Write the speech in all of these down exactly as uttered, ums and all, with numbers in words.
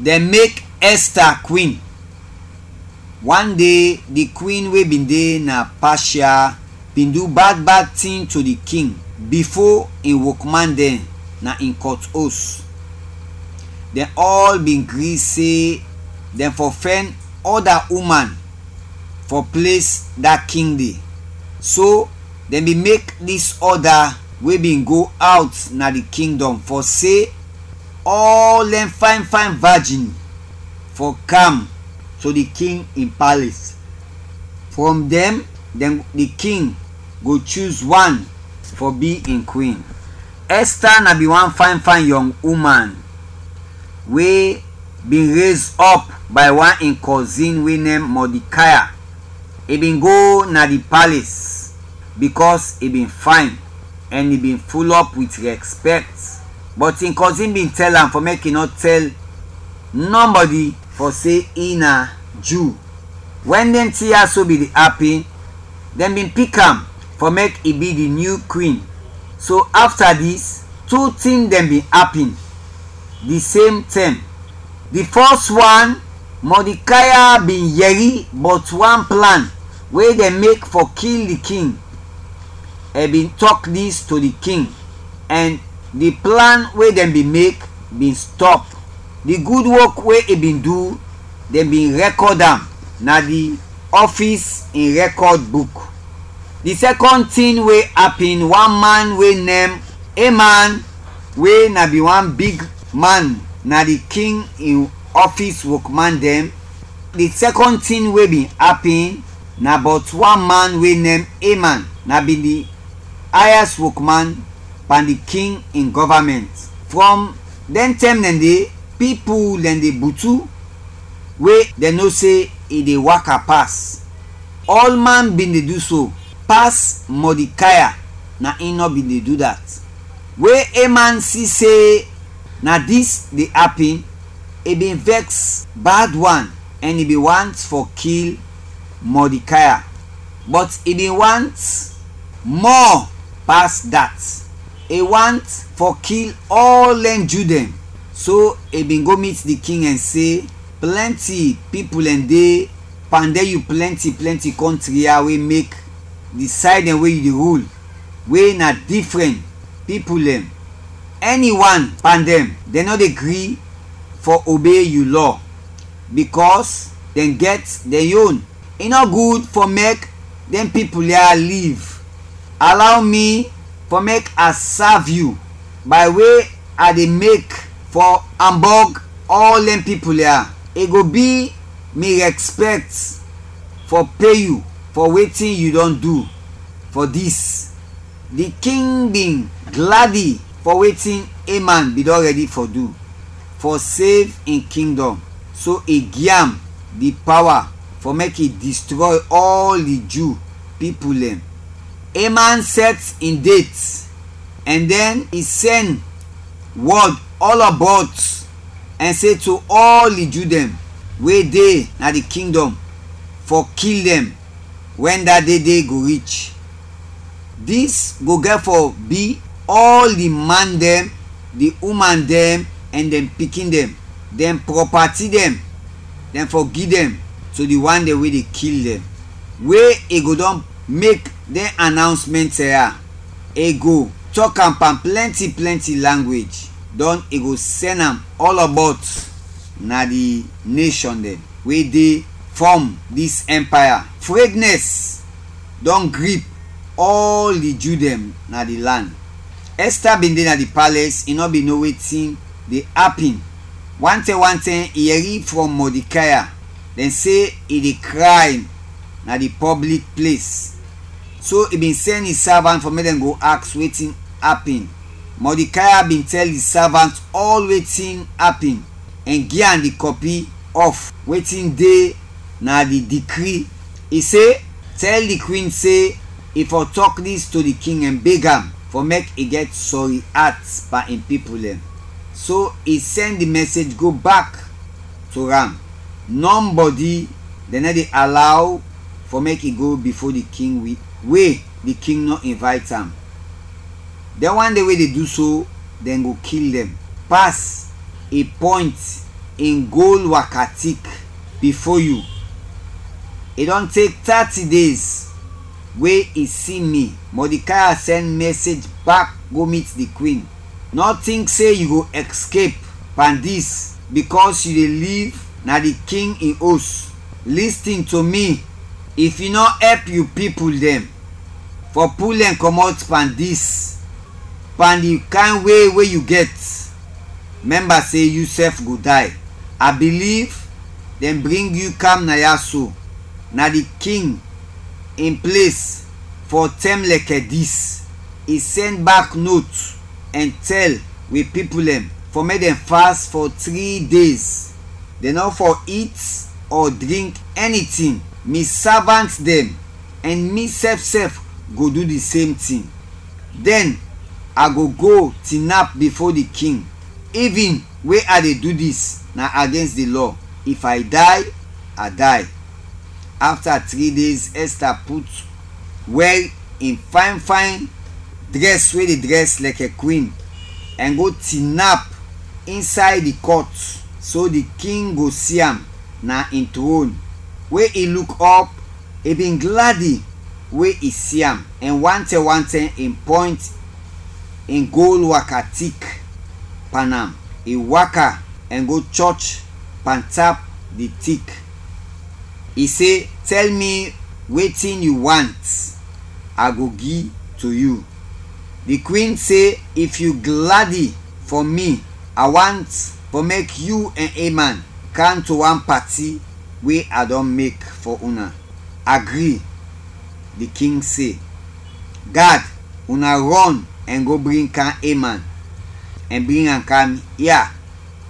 Dɛn mek Ɛsta kwin. Wan de, di kwin we bin de na Pashia bin du bad bad tin to di king bifo in wokman dɛn na in kɔt os. Dɛn ɔl bin gri se dɛn fɔ fɛn ɔda uman fɔ ples da king de. So, dɛn bin mek dis ɔda we bin go awt na di kingdɔm fɔ se ɔl dɛn fayn fayn vajin fɔ kam to di king in pales. Frɔm dɛn, dɛn di king go chuz wan fɔ bi in kwin. Ɛsta na bin wan fayn fayn yɔng uman we bin rez ɔp bay wan in kɔzin we nem Mɔdikaya. I bin go na di pales bikɔs i bin fayn ɛn i bin fulɔp wit rɛspɛkt. Bɔt in kɔzin bin tɛl am fɔ mek i nɔ tɛl nɔbɔdi fɔ se i na Ju. Wɛn dɛn tin ya so bin de apin, dɛn bin pik am fɔ mek i bi di nyu kwin. So afta dis, tu tin dɛn bin apin di sem tɛm. Di fɔs wan, Mɔdikaya bin yɛri bɔt wan plan we dɛn mek fɔ kil di king. Ɛn bin tɔk dis to di king, ɛn di plan we dɛn bin mek bin stɔp. Di gud wok we i bin du, dɛn bin rɛkɔd am na di ɔfis in rɛkɔd buk. Di sɛkɔn tin we apin, wan man we nem Eman, we na bin wan big man na di king in ɔfis wokman dɛn. Di sɛkɔn tin we bin apin na bɔt wan man we nem Eman, na bin di ayas wokman pan di king in gɔvamɛnt. Frɔm dɛn tɛm dɛn de, pipul dɛn de butu we dɛn no se i de waka pas. Ɔlman bin de du so, pas Mɔdikaya, na in nɔ bin de du dat. We Eman si se na dis de apin, i bin vɛks bad wan ɛn i bin want fɔ kil Mɔdikaya. Bɔt i bin want mɔ pas dat. I want fɔ kil ɔl dɛn Ju dɛn. So i bin go mit di king ɛn se, plɛnti pipul dɛn de pan dɛn yu plɛnti plɛnti kɔntri ya we mek di sayd dɛn we yu de rul, we na difrɛn pipul dɛn. Ɛni wan pan dɛn, dɛn nɔ de gri fɔ obey yu lɔ, bikɔs dɛn gɛt dɛn yon. I nɔ gud fɔ mek dɛn pipul ya liv. Alaw mi fɔ mek a sav yu bay we a de mek fɔ ambɔg ɔl dɛn pipul ya. I go bi mi rɛspɛkt fɔ pe yu fɔ wetin yu dɔn du fɔ dis. Di king bin gladi fɔ wetin Eman bin dɔn rɛdi fɔ du fɔ sev in kingdɔm, so i gi am di pawa fɔ mek i distrɔy ɔl di Ju pipul dɛn. Eman sɛt in det, ɛn dɛn i sɛn wɔd ɔlɔbɔt ɛn se to ɔl di Ju dɛn we de na di kingdɔm fɔ kil dɛn wɛn da de de go rich. Dis go gɛt fɔ bi ɔl di man dɛn, di uman dɛn ɛn dɛn pikin dɛn, dɛn prɔpati dɛn, dɛn fɔ gi dɛn to di wan dɛn we de kil dɛn. We i go dɔn mek dɛn anawnsmɛnt ya, i go tɔk am pan plɛnti plɛnti langwej, dɔn i go sɛn am ɔlɔbɔt na di neshɔn dɛn we de fɔm dis ɛmpaya. Frednɛs dɔn grip ɔl di Ju dɛn na di lan. Ɛsta bin de na di palɛs, i nɔ bin no wetin de apin. Wantɛm wantɛm i yɛri frɔm Mɔdikaya, dɛn se i de kray na di pɔblik ples. So i bin sɛn in savant fɔ mek dɛn go aks wetin apin. Mɔdikaya bin tɛl di savant ɔl wetin apin ɛn gi am di kɔpi ɔf wetin de na di dikri. I se, tɛl di kwin se i fɔ tɔk dis to di king ɛn beg am fɔ mek i gɛt sɔri at pan in pipul dɛn. So i sɛn di mɛsej go bak to am. Nɔbɔdi dɛn nɔ de alaw fɔ mek i go bifo di king wi-, we di king nɔ invayt am. Dɛn wan dɛn we de du so, dɛn go kil dɛn. Pas i pɔynt in gol waka tik bifo yu. I dɔn tek thirty days we i si mi. Mordecai sɛn mɛsej bak go mit di kwin. Nɔ tink se yu go escape pan dis, bikɔs yu de liv na di king in os. Listin to mi, if yu nɔ ɛp yu pipul dɛn fɔ pul dɛn kɔmɔt pan dis, pan di kayn we we yu gɛt, mɛmba se yusɛf go day. A biliv dɛn bring yu kam na ya so, na di king in ples, fɔ tɛm lɛkɛ dis. I sɛn bak not ɛn tɛl wi pipul dɛn fɔ mek dɛn fas fɔ tri days. Dɛn nɔ fɔ it ɔ drink ɛnitin. Mi savant dɛn ɛn misɛf sɛf go du di sem tin. Dɛn a go go tinap bifo di king. Ivin we a de du dis na agens di lɔ. If a day, a day. Afta tri days, Ɛsta put wɛr in fayn fayn drɛs we de drɛs lɛkɛ kwin, ɛn go tinap insay di kɔt, so di king go si am na in tron. We i luk ɔp, i bin gladi we i si am, ɛn wantɛm wantɛm i pɔynt in gol waka tik pan am. I waka ɛn go chɔch pantap di tik. I se, "Tɛl mi wetin yu want, a go gi to yu." Di kwin se, "If yu gladi fɔ mi, a want fɔ mek yu ɛn Eman kam to wan pati we a dɔn mek fɔ una." Agri, di king se. Gad, una rɔn ɛn go bring kam Eman ɛn bring am kam ya.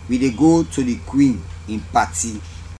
Wi de go to di kwin in pati.